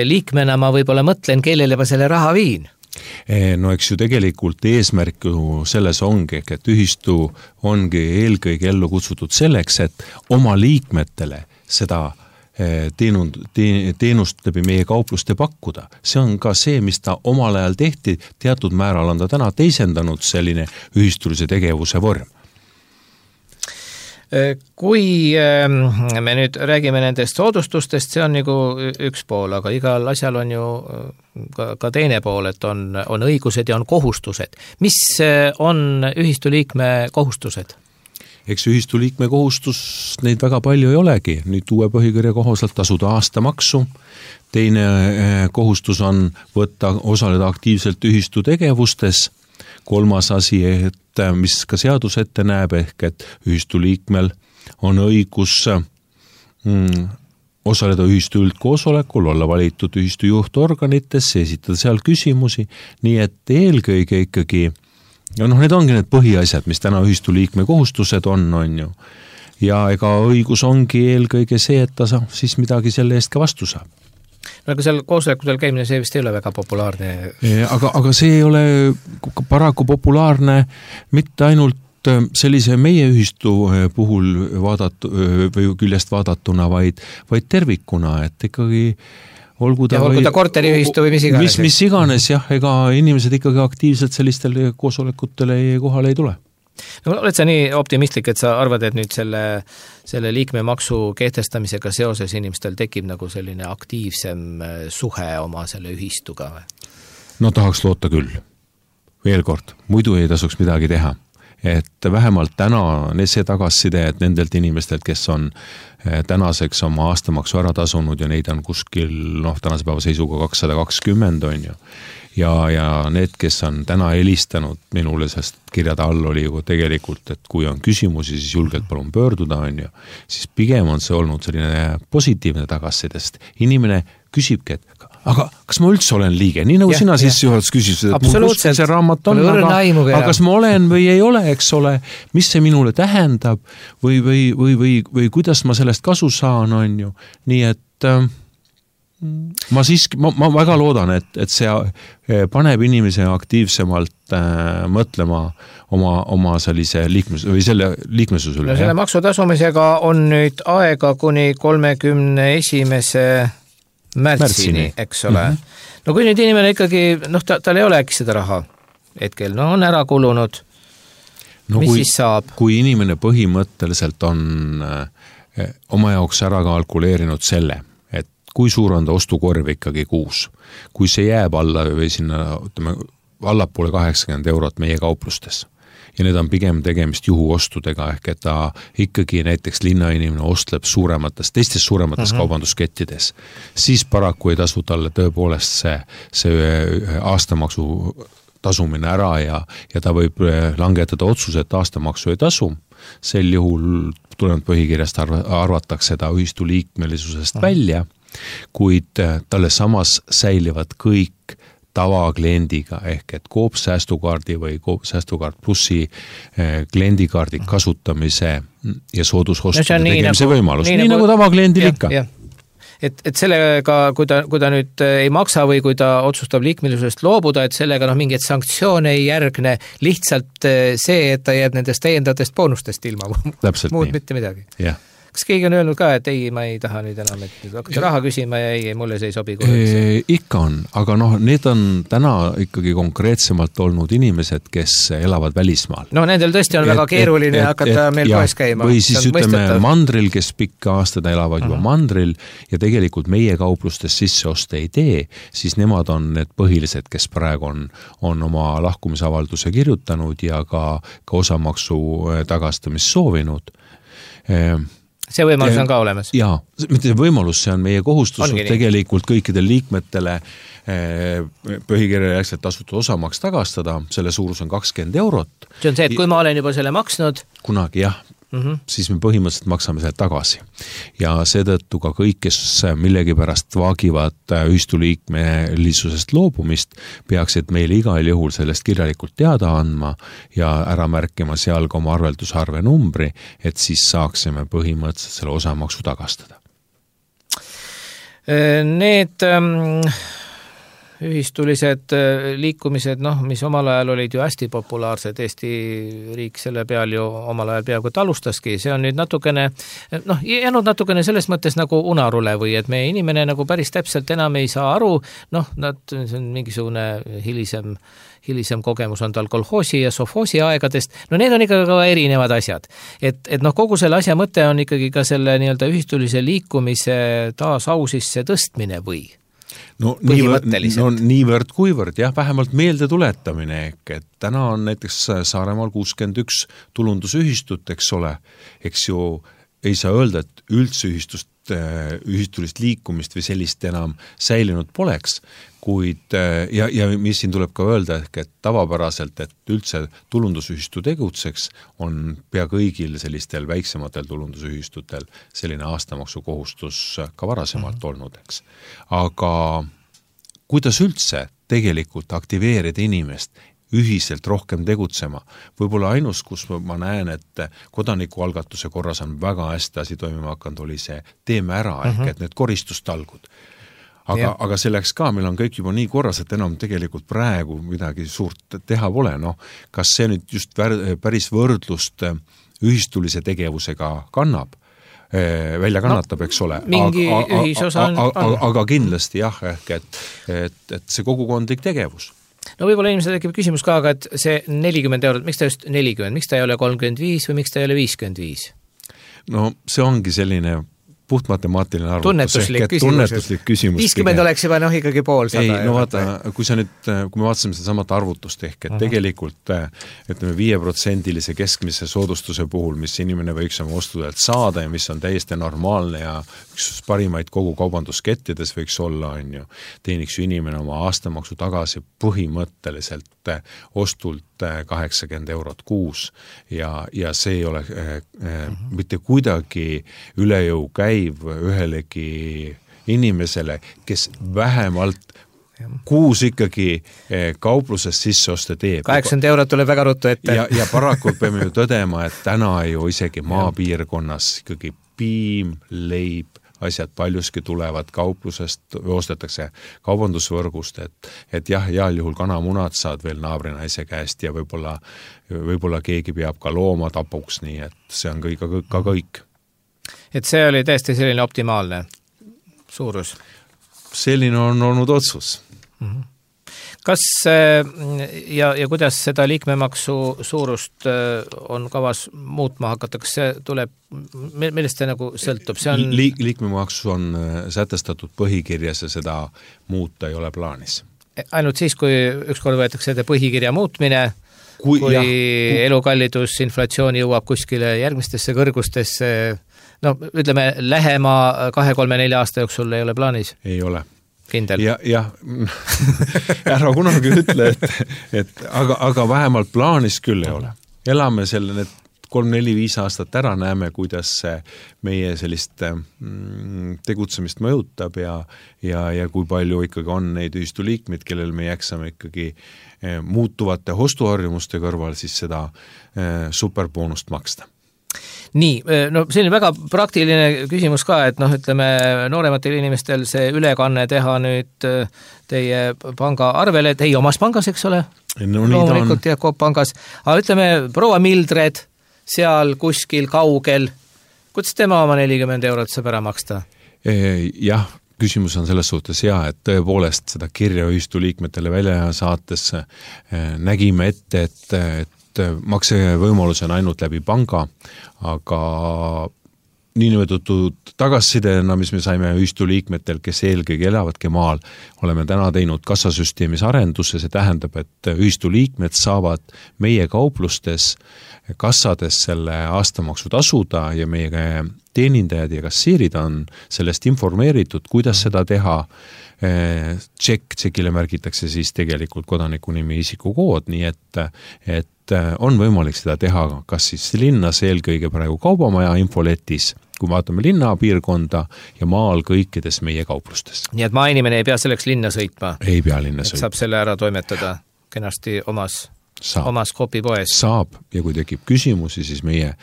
S2: liikmena ma võib-olla mõtlen, kellele ma selle raha viin.
S5: No eks ju tegelikult eesmärk ju selles ongi, et ühistu ongi eelkõige ellu kutsutud selleks, et oma liikmetele seda Teenund, teenust läbi meie kaupluste pakkuda. See on ka see, mis ta omal ajal tehti, teatud määral on ta täna teisendanud selline ühistulise tegevuse vorm.
S2: Kui me nüüd räägime nendest soodustustest, see on nagu üks pool, aga igal asjal on ju ka, ka teine pool, et on, on õigused ja on kohustused. Mis on ühistu liikme kohustused?
S5: Eks ühistu liikme kohustus neid väga palju ei olegi. Nüüd uue põhikirja kohaselt tasuda aastamaksu. Teine kohustus on võtta, osaleda aktiivselt ühistu tegevustes. Kolmas asi, et mis ka seadus ette näeb, ehk et ühistu liikmel on õigus mm, osaleda ühistu üldkoosolekul, olla valitud ühistu juhtorganitesse, esitada seal küsimusi, nii et eelkõige ikkagi ja noh, need ongi need põhiasjad, mis täna ühistu liikme kohustused on, on ju. Ja ega õigus ongi eelkõige see, et ta saab siis midagi selle eest ka vastu saab.
S2: no aga seal koosolekutel käimine, see vist ei ole väga populaarne.
S5: Aga, aga see ei ole paraku populaarne mitte ainult sellise meie ühistu puhul vaadatu, või küljest vaadatuna, vaid, vaid tervikuna, et ikkagi olgu ta,
S2: ja olgu ta korteriühistu või mis iganes.
S5: Mis, mis iganes, jah, ega inimesed ikkagi aktiivselt sellistele koosolekutele kohale ei tule.
S2: No, oled sa nii optimistlik, et sa arvad, et nüüd selle, selle liikmemaksu kehtestamisega seoses inimestel tekib nagu selline aktiivsem suhe oma selle ühistuga?
S5: No tahaks loota küll. Veel kord, muidu ei tasuks midagi teha. Et vähemalt täna on see tagasiside, et nendelt inimestelt, kes on tänaseks oma aastamaksu ära tasunud ja neid on kuskil, noh, tänase päeva seisuga kakssada kakskümmend on ju. Ja, ja need, kes on täna helistanud minule, sest kirjade all oli ju tegelikult, et kui on küsimusi, siis julgelt palun pöörduda, on ju, siis pigem on see olnud selline positiivne tagassidest. Inimene küsibki, et aga kas ma üldse olen liige? Nii nagu ja, sina siis juhatus küsisid, et mul kuskil see raamat on, aga, aga kas ma olen või ei ole, eks ole, mis see minule tähendab või, või, või, või, või kuidas ma sellest kasu saan, on ju. Nii et äh, ma siiski, ma, ma väga loodan, et, et see paneb inimese aktiivsemalt äh, mõtlema oma, oma sellise liikmes, või selle liikmesus üle.
S2: No selle maksu tasumisega on nüüd aega kuni kolmekümne esimese märtsini, märtsini, eks ole. Mm-hmm. No kui nüüd inimene ikkagi, noh, ta, tal ei ole äkki seda raha hetkel, no on ära kulunud, no mis
S5: kui,
S2: siis saab?
S5: Kui inimene põhimõtteliselt on äh, oma jaoks ära kalkuleerinud selle, et kui suur on ta ostukorv ikkagi kuus, kui see jääb alla või sinna, ütleme, allapoole kaheksakümmend eurot meie kauplustes, ja need on pigem tegemist juhuostudega, ehk et ta ikkagi näiteks linnainimene ostleb suuremates, teistes suuremates uh-huh. kaubanduskettides, siis paraku ei tasu talle tõepoolest see, see aastamaksu tasumine ära ja, ja ta võib langetada otsuse, et aastamaksu ei tasu. Sel juhul tulenevalt põhikirjast arvatakse ta ühistu liikmelisusest uh-huh. välja, kuid talle samas säilivad kõik tavakliendiga, ehk et Coop säästukaardi või Coop säästukaart plussi kliendikaardi kasutamise ja soodusostide no, tegemise nagu, võimalus. Nii, nii nagu, nagu tavakliendil ikka. Ja.
S2: Et, et sellega, kui ta, kui ta nüüd ei maksa või kui ta otsustab liikmelisusest loobuda, et sellega noh, mingit sanktsioone ei järgne, lihtsalt see, et ta jääb nendest täiendatest boonustest ilma.
S5: Täpselt
S2: muud
S5: nii.
S2: Mitte midagi.
S5: Jah.
S2: Kas keegi on öelnud ka, et ei, ma ei taha nüüd enam, et nüüd hakkate raha küsima ja ei, mulle see ei sobi
S5: e,? Ikka on, aga noh, need on täna ikkagi konkreetsemalt olnud inimesed, kes elavad välismaal.
S2: No nendel tõesti on et, väga keeruline et, hakata et, meil ja, poes käima.
S5: Või siis ütleme mõistetav. Mandril, kes pikka aastad elavad juba uh-huh. mandril ja tegelikult meie kauplustes sisseoste ei tee, siis nemad on need põhilised, kes praegu on, on oma lahkumisavalduse kirjutanud ja ka, ka osamaksu tagastamist soovinud. E,
S2: see võimalus on ka olemas.
S5: Jaa, mitte võimalus, see on meie kohustus tegelikult kõikidel liikmetele põhikirja järgselt tasutud osamaks tagastada, selle suurus on kakskümmend eurot.
S2: See on see, et kui ma olen juba selle maksnud?
S5: Kunagi jah, mm-hmm. siis me põhimõtteliselt maksame selle tagasi. Ja seetõttu ka kõik, kes millegipärast vaagivad ühistu liikmelisusest loobumist, peaksid meile igal juhul sellest kirjalikult teada andma ja ära märkima seal ka oma arveldusarve numbri, et siis saaksime põhimõtteliselt selle osamaksu tagastada.
S2: Need ähm, ühistulised liikumised, noh, mis omal ajal olid ju hästi populaarsed, Eesti riik selle peal ju omal ajal peaaegu alustaski, see on nüüd natukene, noh, jäänud natukene selles mõttes nagu unarule või et meie inimene nagu päris täpselt enam ei saa aru, noh, nad, see on mingisugune hilisem, hilisem kogemus on tal kolhoosi ja sovhoosi aegadest, no need on ikka ka erinevad asjad. Et, et noh, kogu selle asja mõte on ikkagi ka selle nii-öelda ühistulise liikumise taas au sisse tõstmine või?
S5: No niivõrd, no niivõrd kuivõrd, jah, vähemalt meelde tuletamine, et täna on näiteks Saaremaal kuuskümmend üks tulundusühistut, eks ole, eks ju ei saa öelda, et üldse ühistust, ühistulist liikumist või sellist enam säilinud poleks, kuid ja, ja mis siin tuleb ka öelda, et tavapäraselt, et üldse tulundusühistu tegutseks, on pea kõigil sellistel väiksematel tulundusühistutel selline aastamaksu kohustus ka varasemalt mm-hmm. olnud, eks. Aga kuidas üldse tegelikult aktiveerida inimest ühiselt rohkem tegutsema. Võib-olla ainus, kus ma näen, et kodanikualgatuse korras on väga hästi asi toimima hakanud, oli see teeme ära, uh-huh. ehk et need koristustalgud. aga, aga selleks ka meil on kõik juba nii korras, et enam tegelikult praegu midagi suurt teha pole, noh, kas see nüüd just päris võrdlust ühistulise tegevusega kannab, välja kannatab, eks ole.
S2: Mingi aga, ühisosa on,
S5: aga, aga, aga kindlasti jah, ehk et, et, et see kogukondlik tegevus.
S2: No võib-olla inimesel tekib küsimus ka, aga et see nelikümmend eurot, miks ta just nelikümmend, miks ta ei ole kolmkümmend viis või miks ta ei ole viiskümmend viis?
S5: No see ongi selline puht matemaatiline arvutus.
S2: Tunnetuslik küsimus.
S5: Tunnetuslik küsimus.
S2: viiskümmend oleks juba noh ikkagi pool sada.
S5: Ei, no vaata, kui sa nüüd, kui me vaatasime seda samat arvutust ehk, et uh-huh. tegelikult ütleme viie protsendilise keskmise soodustuse puhul, mis inimene võiks oma ostudelt saada ja mis on täiesti normaalne ja üks parimaid kogu kaubanduskettides võiks olla, on ju, teeniks ju inimene oma aastamaksu tagasi põhimõtteliselt ostult kaheksakümmend eurot kuus ja, ja see ei ole äh, uh-huh. mitte kuidagi üle jõu käiv ühelegi inimesele, kes vähemalt kuus ikkagi kaupluses sisseoste teeb.
S2: kaheksakümmend eurot tuleb väga ruttu ette.
S5: Ja, ja paraku peame ju tõdema, et täna ju isegi maapiirkonnas ikkagi piim, leib, asjad paljuski tulevad kauplusest, ostetakse kaubandusvõrgust, et, et jah, heal juhul kanamunad saad veel naabrinaise käest ja võib-olla, võib-olla keegi peab ka looma tapuks, nii et see on kõik, ka, ka kõik.
S2: Et see oli täiesti selline optimaalne suurus?
S5: Selline on olnud otsus.
S2: Mm-hmm. Kas ja, ja kuidas seda liikmemaksu suurust on kavas muutma hakatakse, see tuleb, millest see nagu sõltub? See on...
S5: Li- liikmemaksu on sätestatud põhikirjas ja seda muuta ei ole plaanis.
S2: Ainult siis, kui ükskord võetakse seda põhikirja muutmine, kui, kui jah, elukallidus, inflatsiooni jõuab kuskile järgmistesse kõrgustesse, no ütleme, lähema kahe, kolme, nelja aasta jooksul ei ole plaanis? Ei
S5: ole.
S2: Kindel.
S5: Ja, jah, ära kunagi ütle, et, et aga, aga vähemalt plaanis küll ei ole. Elame selle need kolm, neli, viis aastat ära, näeme, kuidas see meie sellist mm, tegutsemist mõjutab ja, ja, ja kui palju ikkagi on neid ühistuliikmeid, kellel me jäksame ikkagi eh, muutuvate ostuharjumuste kõrval siis seda eh, superboonust maksta.
S2: Nii, no selline väga praktiline küsimus ka, et noh, ütleme noorematel inimestel see ülekanne teha nüüd teie panga arvele, et ei omas pangas, eks ole?
S5: No,
S2: loomulikult ja Coop pangas. Aga ütleme, proua Mildred seal kuskil kaugel, kuidas tema oma nelikümmend eurot saab ära maksta?
S5: Jah, küsimus on selles suhtes hea, et tõepoolest seda kirja ühistu liikmetele välja saates nägime ette, et, et maksevõimalus on ainult läbi panga, aga niinimetatud tagasisidena, mis me saime ühistu liikmetel, kes eelkõige elavadki maal, oleme täna teinud kassasüsteemis arenduse, see tähendab, et ühistu liikmed saavad meie kauplustes kassades selle aastamaksu tasuda ja meie teenindajad ja kassiirid on sellest informeeritud, kuidas seda teha. Tšekk, tšekile märgitakse siis tegelikult kodaniku nimi isikukood, nii et, et on võimalik seda teha kas siis linnas eelkõige praegu kaubamaja infoletis, kui vaatame linna piirkonda ja maal kõikides meie kauplustes.
S2: Nii et maainimene ei pea selleks linna sõitma?
S5: Ei pea linna sõitma.
S2: Saab selle ära toimetada kenasti omas, omas Coopi poes?
S5: Saab ja kui tekib küsimusi, siis meie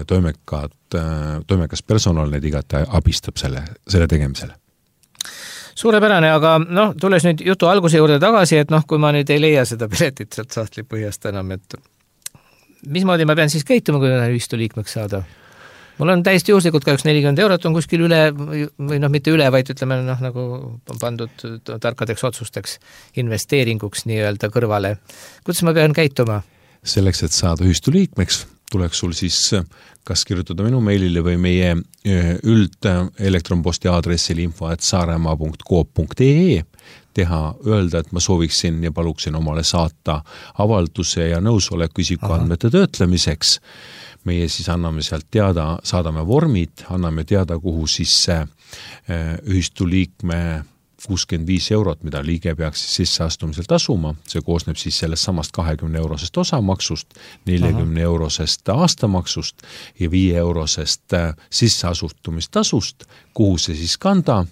S5: toimekad, toimekas personal need igati abistab selle, selle tegemisele.
S2: Suurepärane, aga noh, tulles nüüd jutu alguse juurde tagasi, et noh, kui ma nüüd ei leia seda piletit sealt sahtli põhjast enam, et mismoodi ma pean siis käituma, kui ühistu liikmeks saada? Mul on täiesti juhuslikult ka üks nelikümmend eurot on kuskil üle, või noh, mitte üle, vaid ütleme noh, nagu pandud tarkadeks otsusteks investeeringuks nii-öelda kõrvale. Kuidas ma pean käituma?
S5: Selleks, et saada ühistu liikmeks, tuleks sul siis kas kirjutada minu meilile või meie üld elektronposti aadressil info at saaremaa punkt coop punkt ee teha, öelda, et ma sooviksin ja paluksin omale saata avalduse ja nõusoleku isikuandmete töötlemiseks. Meie siis anname sealt teada, saadame vormid, anname teada, kuhu siis ühistu liikme kuuskümmend viis eurot, mida liige peaks siis sisseastumisel tasuma, see koosneb siis sellest samast kahekümne eurosest osamaksust, nelikümne eurosest aastamaksust ja viie eurosest sisseasustumistasust, kuhu see siis kanda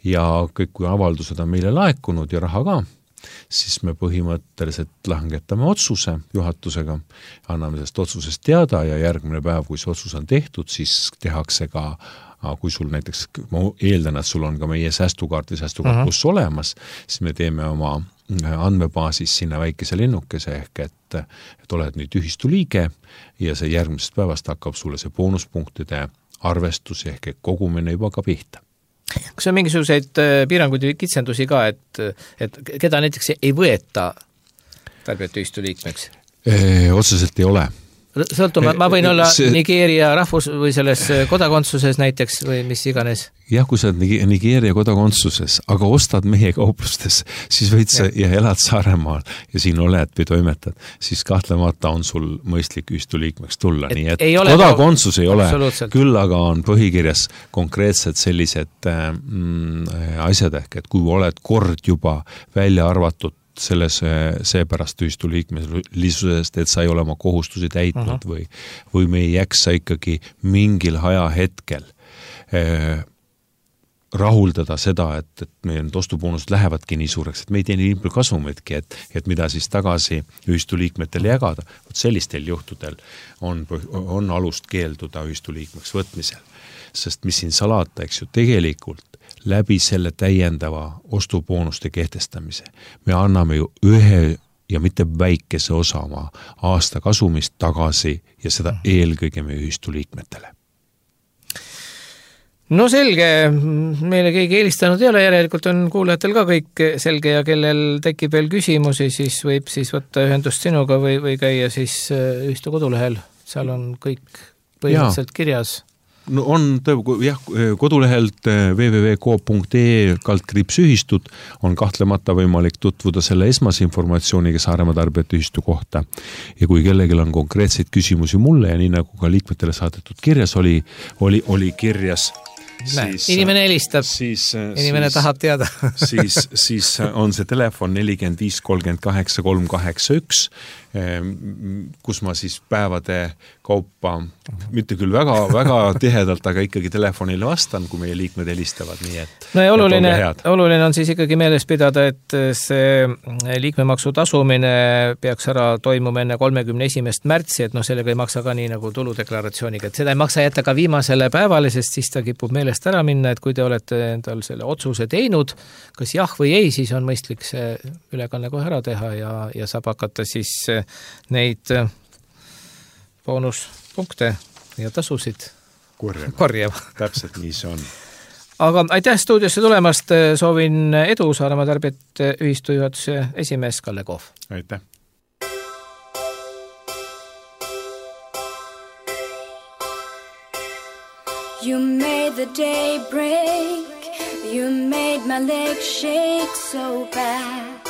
S5: ja kõik, kui avaldused on meile laekunud ja raha ka, siis me põhimõtteliselt langetame otsuse juhatusega, anname sellest otsusest teada ja järgmine päev, kui see otsus on tehtud, siis tehakse ka aga kui sul näiteks, ma eeldan, et sul on ka meie säästukaart või säästukaart uh-huh. olemas, siis me teeme oma andmebaasis sinna väikese lennukese ehk et, et oled nüüd ühistu liige ja see järgmisest päevast hakkab sulle see boonuspunktide arvestus ehk et kogumine juba ka pihta.
S2: Kas on mingisuguseid piiranguid või kitsendusi ka, et, et keda näiteks ei võeta tarbijate ühistu liikmeks?
S5: E, otseselt ei ole.
S2: Sõltuma, ma võin olla see... Nigeeria rahvus või selles kodakondsuses näiteks või mis iganes?
S5: Jah, kui sa oled Nigeeria kodakondsuses, aga ostad meie kauplustes, siis võid sa ja, ja elad Saaremaal ja siin oled või toimetad, siis kahtlemata on sul mõistlik ühistu liikmeks tulla. Et nii et ei kodakondsus ei ole, küll aga on põhikirjas konkreetsed sellised mm, asjad ehk, et kui oled kord juba välja arvatud selles seepärast ühistu liikmelisusest, et sa ei ole oma kohustusi täitnud uh-huh. või, või me ei jaksa ikkagi mingil ajahetkel eh, rahuldada seda, et, et meie ostuboonused lähevadki nii suureks, et me ei tee nii palju kasumitki, et, et mida siis tagasi ühistu liikmetele jagada. Võt sellistel juhtudel on, on alust keelduda ühistu liikmeks võtmisel. Sest mis siin salata, eks ju, tegelikult läbi selle täiendava ostuboonuste kehtestamise. Me anname ju ühe ja mitte väikese osa oma aasta kasumist tagasi ja seda eelkõige meie ühistu liikmetele.
S2: No selge, meile keegi eelistanud ei ole, järelikult on kuulajatel ka kõik selge ja kellel tekib veel küsimusi, siis võib siis võtta ühendust sinuga või, või käia siis ühistu kodulehel. Seal on kõik põhimõtteliselt kirjas.
S5: No on tõe, jah, kodulehelt w w w punkt coop punkt e e kaldkriips ühistud on kahtlemata võimalik tutvuda selle esmase informatsiooniga Saaremaa tarbijate ühistu kohta. Ja kui kellegil on konkreetseid küsimusi mulle ja nii nagu ka liikmetele saadetud kirjas oli, oli, oli kirjas
S2: Siis, inimene helistab,
S5: siis,
S2: inimene
S5: siis,
S2: tahab teada.
S5: siis, siis on see telefon neli viis kolm kaheksa kolm kaheksa üks, kus ma siis päevade kaupa, mitte küll väga, väga tihedalt, aga ikkagi telefonile vastan, kui meie liikmed helistavad. Nii et,
S2: no ja oluline, oluline on siis ikkagi meeles pidada, et see liikmemaksu tasumine peaks ära toimuma enne kolmekümne esimest märtsi, et noh, sellega ei maksa ka nii nagu tuludeklaratsiooniga, et seda ei maksa jätta ka viimasele päevale, sest siis ta kipub meelest ära minna, et kui te olete endal selle otsuse teinud, kas jah või ei, siis on mõistlik see ülekanne kohe ära teha ja, ja saab hakata siis neid boonuspunkte ja tasusid
S5: korjama.
S2: korjama.
S5: Täpselt nii see on.
S2: Aga aitäh stuudiosse tulemast, soovin edu Saaremaa tarbijate ühistu juhatuse esimees Kalle Kohv.
S5: Aitäh.
S3: You made the day break, you made my legs shake so bad.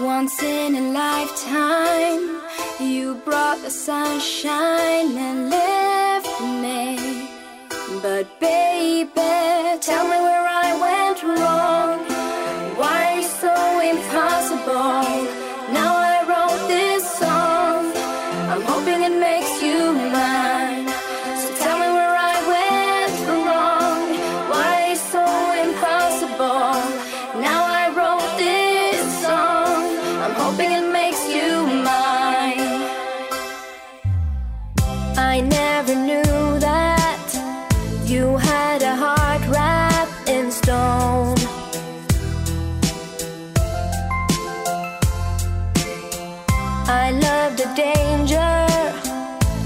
S3: Once in a lifetime, you brought the sunshine and left me. But baby, tell me where I went wrong. Why are you so impossible? Now I wrote this song, I'm hoping it makes you mine. So tell me where I went wrong. Why are you so impossible? Now I wrote this song, I'm hoping it makes you mine. I never knew that you had a heart wrapped in stone. I love the danger,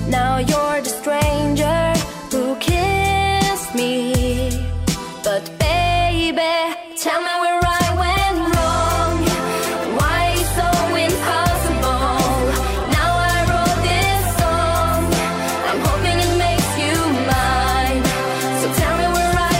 S3: now you're the stranger who kissed me. But baby, tell me where I went wrong. Why are you so impossible? Now I wrote this song, I'm hoping it makes you mine. So tell me where I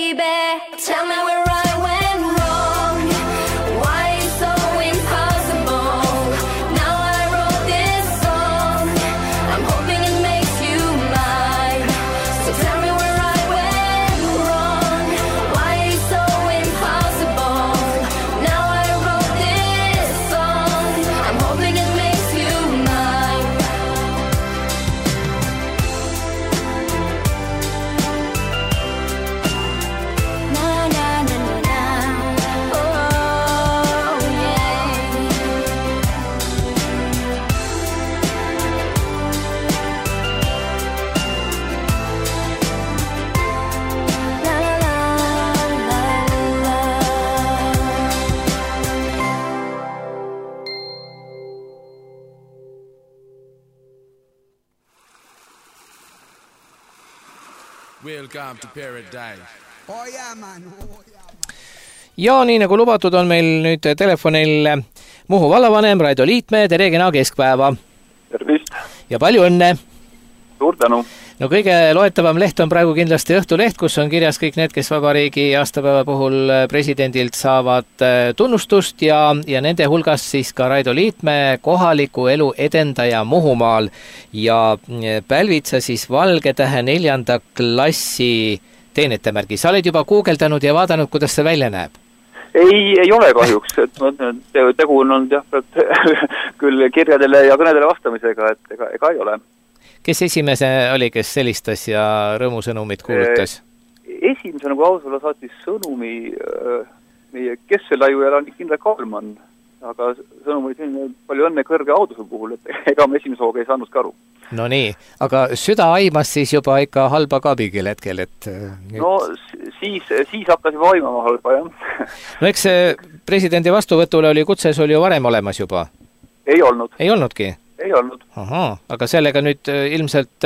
S3: baby. Tell me where I went wrong. Why so impossible? Now I wrote this song. I'm hoping it makes you mine. So tell me where I went wrong. Why so impossible? Now I wrote this song. I'm hoping it makes you mine. Na na na na na. Oh yeah. La la la la la.
S6: Welcome to paradise.
S7: Oh yeah, man. Oh, yeah.
S2: ja nii nagu lubatud, on meil nüüd telefonil Muhu vallavanem Raido Liitmäe, tere kena keskpäeva
S8: Tervist,
S2: ja palju õnne!
S8: suur tänu.
S2: No kõige loetavam leht on praegu kindlasti Õhtuleht, kus on kirjas kõik need, kes vabariigi aastapäeva puhul presidendilt saavad tunnustust ja, ja nende hulgas siis ka Raido Liitmäe, kohaliku elu edendaja Muhumaal ja pälvid sa siis Valge Tähe neljanda klassi teenetemärgi. Sa oled juba guugeldanud ja vaadanud, kuidas see välja näeb?
S8: Ei, ei ole kahjuks, et tegu on olnud jah, küll kirjadele ja kõnedele vastamisega, et ega, ega ei ole.
S2: Kes esimese oli, kes selistas ja rõõmusõnumit kuulutas?
S8: Esimese nagu ausala saatis sõnumi meie Kesselaiu ja Kindra Kaalman, aga sõnum oli selline palju õnne kõrge auduse puhul, et ega me esimese hooga ei saanud ka aru.
S2: No nii, aga süda aimas siis juba ikka halba ka mingil hetkel, et... Nüüd...
S8: No siis, siis hakkas juba aimama halba, jah.
S2: No eks presidendi vastuvõtule oli kutses oli ju varem olemas juba?
S8: Ei olnud.
S2: Ei olnudki?
S8: Ei olnud.
S2: Aha, aga sellega nüüd ilmselt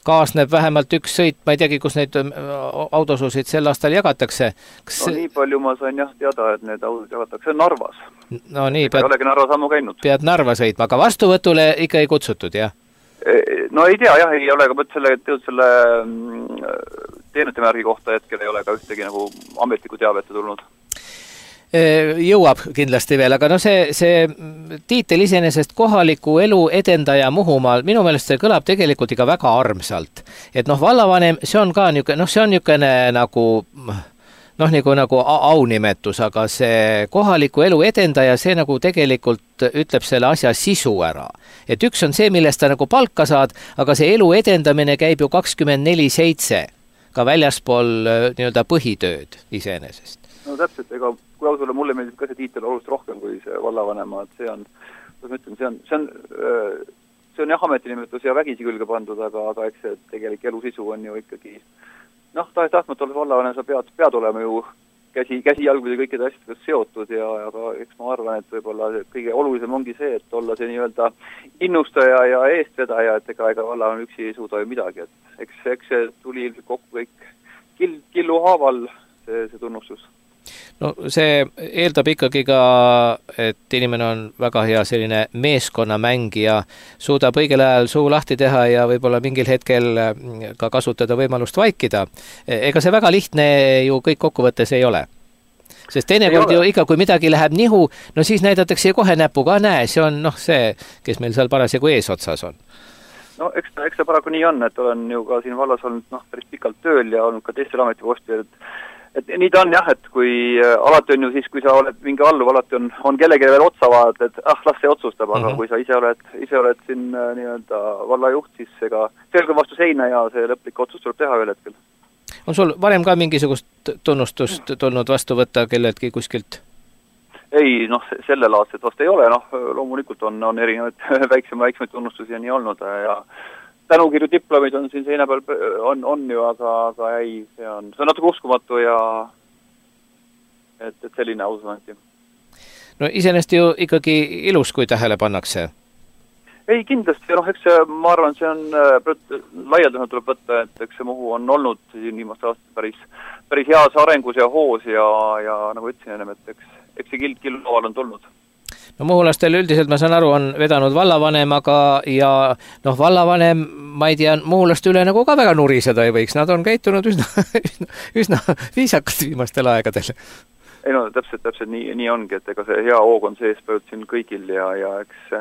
S2: kaasneb vähemalt üks sõit, ma ei teagi, kus neid autosusid sel aastal jagatakse. Kas...
S8: No nii palju ma sain jah teada, et need autod jagatakse Narvas.
S2: No nii, pead...
S8: ei olegi Narva sammu käinud.
S2: Pead Narva sõitma, aga vastuvõtule ikka ei kutsutud, jah?
S8: No ei tea, jah, ei ole, aga mõt selle, selle teenetemärgi kohta hetkel ei ole ka ühtegi nagu ametliku teavete tulnud.
S2: Jõuab kindlasti veel, aga no see, see tiitel iseenesest kohaliku elu edendaja Muhumaal, minu meelest see kõlab tegelikult ikka väga armsalt. Et noh, vallavanem, see on ka niisugune, noh, see on niisugune nagu, noh, nagu, nagu aunimetus, aga see kohaliku elu edendaja, see nagu tegelikult ütleb selle asja sisu ära. Et üks on see, millest ta nagu palka saad, aga see elu edendamine käib ju kakskümmend neli seitse, ka väljaspool nii-öelda põhitööd iseenesest.
S8: No täpselt, ega kui ausale mulle meeldib ka see tiitel oluliselt rohkem kui see vallavanema, et see on, kuidas ma ütlen, see on, see on, see on jah ametinimetus ja vägisi külge pandud, aga, aga eks see tegelik elu sisu on ju ikkagi, noh, tahes tahtmata olles vallavanem, sa pead, pead olema ju käsi, käsi jalgud ja kõikide asjadega seotud ja, aga eks ma arvan, et võib-olla kõige olulisem ongi see, et olla see nii-öelda innustaja ja eestvedaja, et ega, ega vallavanem üksi ei suuda ju midagi, et eks, eks see tuli ilmselt kokku kõik kill, killu haaval see, see tunnustus.
S2: No see eeldab ikkagi ka, et inimene on väga hea selline meeskonnamängija, suudab õigel ajal suu lahti teha ja võib-olla mingil hetkel ka kasutada võimalust vaikida. Ega see väga lihtne ju kõik kokkuvõttes ei ole. Sest teinekord ju ikka, kui midagi läheb nihu, no siis näidatakse kohe näpuga, näe, see on noh see, kes meil seal parasjagu eesotsas on.
S8: No eks ta, eks ta paraku nii on, et olen ju ka siin vallas olnud noh, päris pikalt tööl ja olnud ka teistel ametipostil, et et nii ta on jah, et kui äh, alati on ju siis, kui sa oled mingi alluv, alati on, on kellegi veel otsa vaadata, et ah, las see otsustab, aga mm -hmm. kui sa ise oled, ise oled siin äh, nii-öelda vallajuht, siis ega selge vastu seina ja see lõplik otsus tuleb teha ühel hetkel.
S2: On sul varem ka mingisugust tunnustust tulnud vastu võtta kelledki kuskilt?
S8: Ei, noh, sellel aastat vast ei ole, noh, loomulikult on, on erinevaid väiksema, väiksemaid tunnustusi ja nii olnud ja tänukirju diplomid on siin seina peal, on, on ju, aga, aga ei, see on, see on natuke uskumatu ja et, et selline ausanti.
S2: No iseenesest ju ikkagi ilus, kui tähele pannakse.
S8: Ei, kindlasti, noh, eks see, ma arvan, see on laialdasena tuleb võtta, et eks see Muhu on olnud siin viimast aastat päris, päris heas arengus ja hoos ja, ja nagu ütlesin ennem, et eks, eks see kild killu laual on tulnud.
S2: no Muhulastel üldiselt, ma saan aru, on vedanud vallavanemaga ja noh, vallavanem, ma ei tea, Muhulaste üle nagu ka väga nuriseda ei võiks, nad on käitunud üsna, üsna, üsna viisakalt viimastel aegadel.
S8: Ei no täpselt, täpselt nii, nii ongi, et ega see hea hoog on sees pööld siin kõigil ja, ja eks,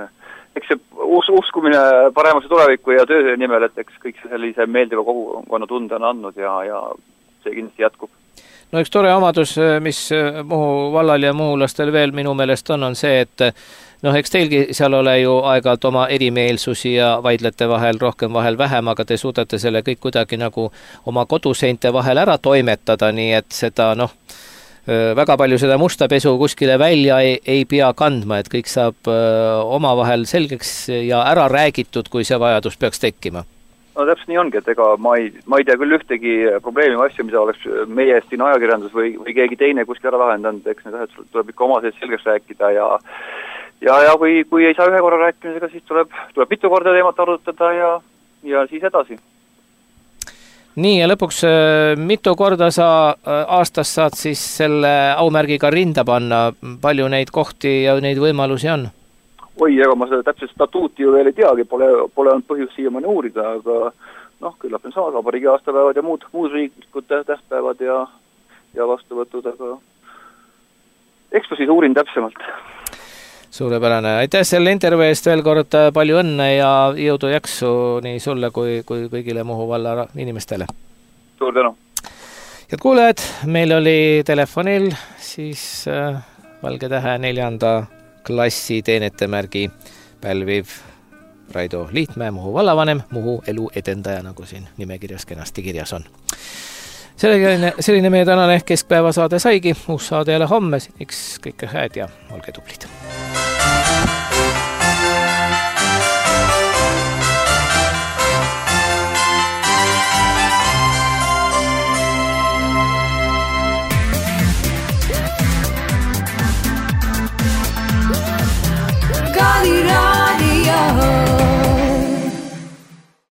S8: eks see us, uskumine paremasse tulevikku ja töö nimel, et eks kõik see sellise meeldiva kogukonna tunde on andnud ja, ja see kindlasti jätkub.
S2: No üks tore omadus, mis Muhu vallal ja Muhulastel veel minu meelest on, on see, et noh, eks teilgi seal ole ju aeg-ajalt oma erimeelsusi ja vaidlete vahel rohkem, vahel vähem, aga te suudate selle kõik kuidagi nagu oma koduseinte vahel ära toimetada, nii et seda noh, väga palju seda musta pesu kuskile välja ei, ei pea kandma, et kõik saab omavahel selgeks ja ära räägitud, kui see vajadus peaks tekkima.
S8: No täpselt nii ongi, et ega ma ei, ma ei tea küll ühtegi probleemi või asju, mida oleks meie eest siin ajakirjandus või, või keegi teine kuskil ära lahendanud, eks need asjad tuleb ikka oma sees selgeks rääkida ja ja, ja kui, kui ei saa ühe korra rääkimisega, siis tuleb, tuleb mitu korda teemat arutada ja, ja siis edasi.
S2: Nii, ja lõpuks mitu korda sa aastas saad siis selle aumärgiga rinda panna, palju neid kohti ja neid võimalusi on?
S8: Oi, ega ma seda täpselt statuuti ju veel ei teagi, pole, pole olnud põhjus siiamaani uurida, aga noh, küllap on saada vabariigi aastapäevad ja muud, muud riiklikud tähtpäevad ja, ja vastuvõtud, aga eks ma siis uurin täpsemalt.
S2: Suurepärane. Aitäh selle intervjuu eest veel kord, palju õnne ja jõudu jaksu nii sulle kui, kui kõigile Muhu valla inimestele.
S8: Suur tänu.
S2: Head kuulajad, meil oli telefonil siis äh, Valge Tähe neljanda klassi teenetemärgi pälviv Raido Liitmäe, Muhu vallavanem, Muhu elu edendaja, nagu siin nimekirjas kenasti kirjas on. Selline, selline meie tänane keskpäevasaade saigi, uus saade jälle homme, seniks kõike hääd ja olge tublid.